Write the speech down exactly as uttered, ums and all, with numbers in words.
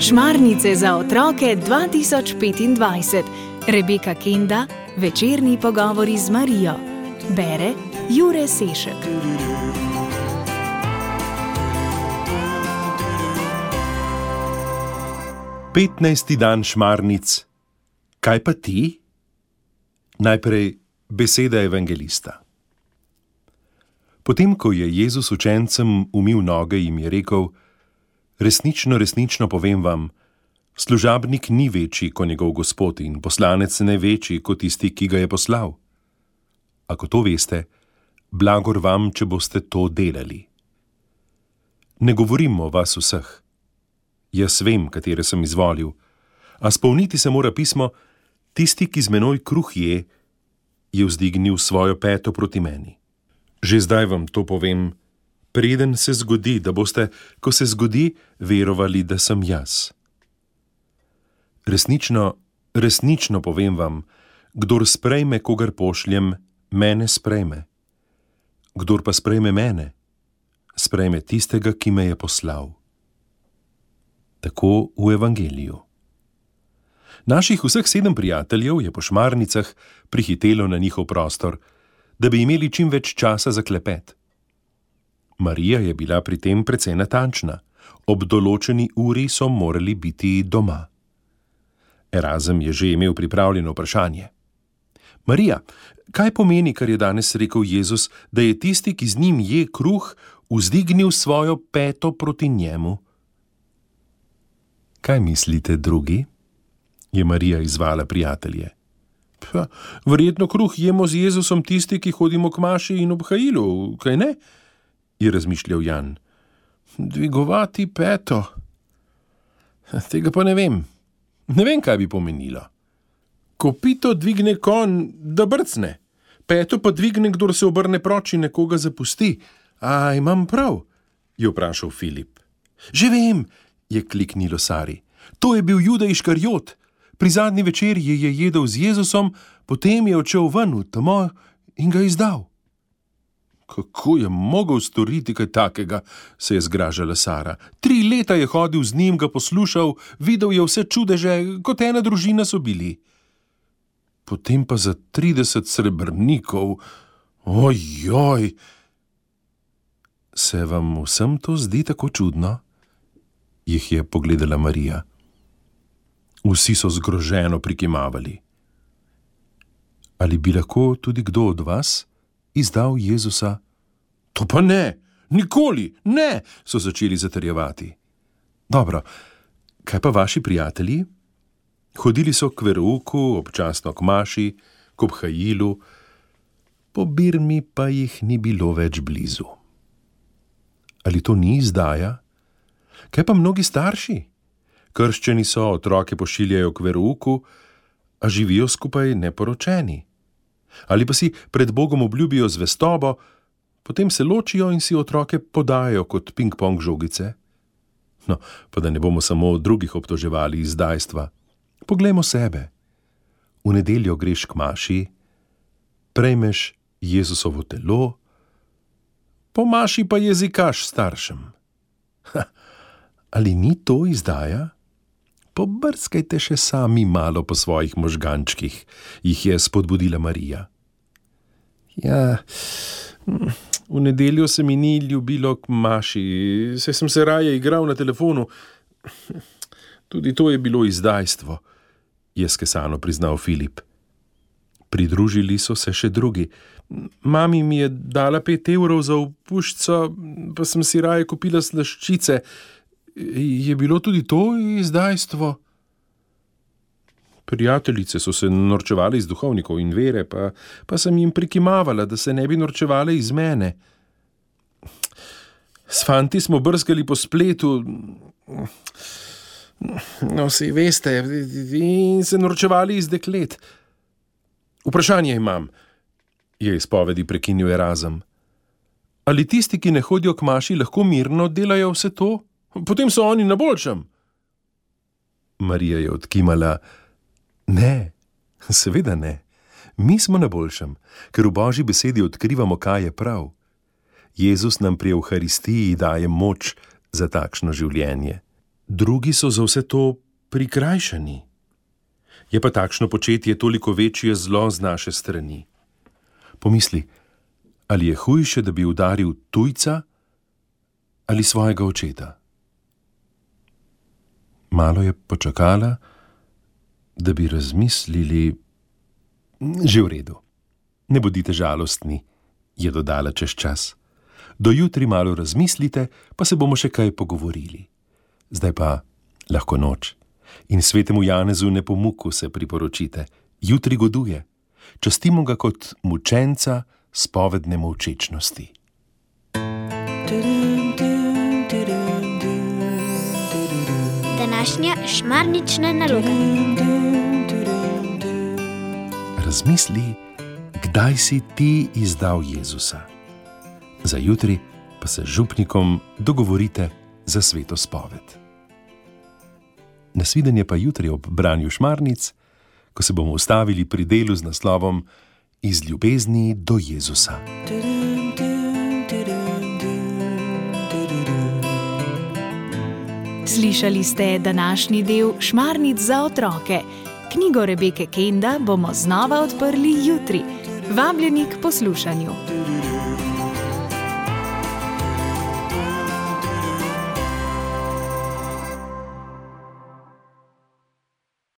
Šmarnice za otroke dva tisoč petindvajset. Rebeka Kenda, večerni pogovori z Marijo. Bere Jure Sešek. petnajsti dan šmarnic. Kaj pa ti? Najprej beseda evangelista. Potem, ko je Jezus učencem umil noge, jim je rekel: Resnično, resnično povem vam, služabnik ni večji kot njegov gospod in poslanec ne večji kot tisti, ki ga je poslal. Ako to veste, blagor vam, če boste to delali. Ne govorim o vas vseh. Jaz vem, katere sem izvolil, a spolniti se mora pismo: tisti, ki z menoj kruh je, je vzdignil svojo peto proti meni. Že zdaj vam to povem, preden se zgodi, da boste, ko se zgodi, verovali, da sem jaz. Resnično, resnično povem vam, kdor sprejme, kogar pošljem, mene sprejme. Kdor pa sprejme mene, sprejme tistega, ki me je poslal. Tako v evangeliju. Naših vseh sedem prijateljev je po šmarnicah prihitelo na njihov prostor, da bi imeli čim več časa za klepet. Marija je bila pri tem precej natančna. Ob določeni uri so morali biti doma. Erazem je že imel pripravljeno vprašanje. Marija, kaj pomeni, kar je danes rekel Jezus, da je tisti, ki z njim je kruh, vzdignil svojo peto proti njemu? Kaj mislite, drugi? Je Marija izvala prijatelje. Pa, verjetno kruh jemo z Jezusom tisti, ki hodimo k maši in ob hajilu, kaj ne? Je razmišljal Jan. Dvigovati peto. Tega pa ne vem. Ne vem, kaj bi pomenilo. Kopito dvigne konj, da brcne. Peto pa dvigne, kdor se obrne proč in nekoga zapusti. A imam prav? Je vprašal Filip. Že vem, je kliknilo Sari. To je bil Juda Iškarjot. Pri zadnji večerji je jedel z Jezusom, potem je odšel ven v temo in ga izdal. Kako je mogel storiti kaj takega, se je zgražala Sara. Tri leta je hodil z njim, ga poslušal, videl je vse čudeže, kot ena družina so bili. Potem pa za trideset srebrnikov. Ojoj! Se vam vsem to zdi tako čudno? Jih je pogledala Marija. Vsi so zgroženo prikimavali. Ali bi lahko tudi kdo od vas izdal Jezusa? To pa ne, nikoli, ne, so začeli zatrjevati. Dobro, kaj pa vaši prijatelji? Hodili so k verouku, občasno k maši, k obhajilu, po Birmi pa jih ni bilo več blizu. Ali to ni izdaja? Kaj pa mnogi starši? Krščeni so, otroke pošiljajo k verouku, a živijo skupaj neporočeni. Ali pa si pred Bogom obljubijo zvestobo, potem se ločijo in si otroke podajo kot ping-pong žogice. No, pa da ne bomo samo drugih obtoževali izdajstva. Poglejmo sebe. V nedeljo greš k maši, prejmeš Jezusovo telo, po maši pa jezikaš staršem. Ha, ali ni to izdaja? Pobrskajte še sami malo po svojih možgančkih, jih je spodbudila Marija. Ja, v nedeljo se mi ni ljubilo k maši, saj sem se raje igral na telefonu. Tudi to je bilo izdajstvo, je skesano priznal Filip. Pridružili so se še drugi. Mami mi je dala pet evrov za opuščico, pa sem si raje kupila slaščice. Je bilo tudi to izdajstvo? Prijateljice so se norčevali iz duhovnikov in vere, pa, pa sem jim prikimavala, da se ne bi norčevale iz mene. S fanti smo brskali po spletu, no, saj veste, in se norčevali iz deklet. Vprašanje imam, je izpovedi prekinil Erazem. Ali tisti, ki ne hodijo k maši, lahko mirno delajo vse to? Potem so oni na boljšem. Marija je odkimala. Ne, seveda ne. Mi smo na boljšem, ker v Božji besedi odkrivamo, kaj je prav. Jezus nam pri Evharistiji daje moč za takšno življenje. Drugi so za vse to prikrajšani. Je pa takšno početje toliko večje zlo z naše strani. Pomisli, ali je hujše, da bi udaril tujca ali svojega očeta. Malo je počakala, da bi razmislili. Že v redu. Ne bodite žalostni, je dodala čez čas. Do jutri malo razmislite, pa se bomo še kaj pogovorili. Zdaj pa lahko noč. In svetemu Janezu Nepomuku se priporočite. Jutri goduje. Častimo ga kot mučenca spovedne molčečnosti. Današnja šmarnična naloga. Razmisli, kdaj si ti izdal Jezusa. Za jutri pa se z župnikom dogovorite za sveto spoved. Nasvidenje pa jutri ob branju šmarnic, ko se bomo ustavili pri delu z naslovom Iz ljubezni do Jezusa. Slišali ste današnji del Šmarnic za otroke. Knjigo Rebeke Kenda bomo znova odprli jutri. Vabljeni k poslušanju.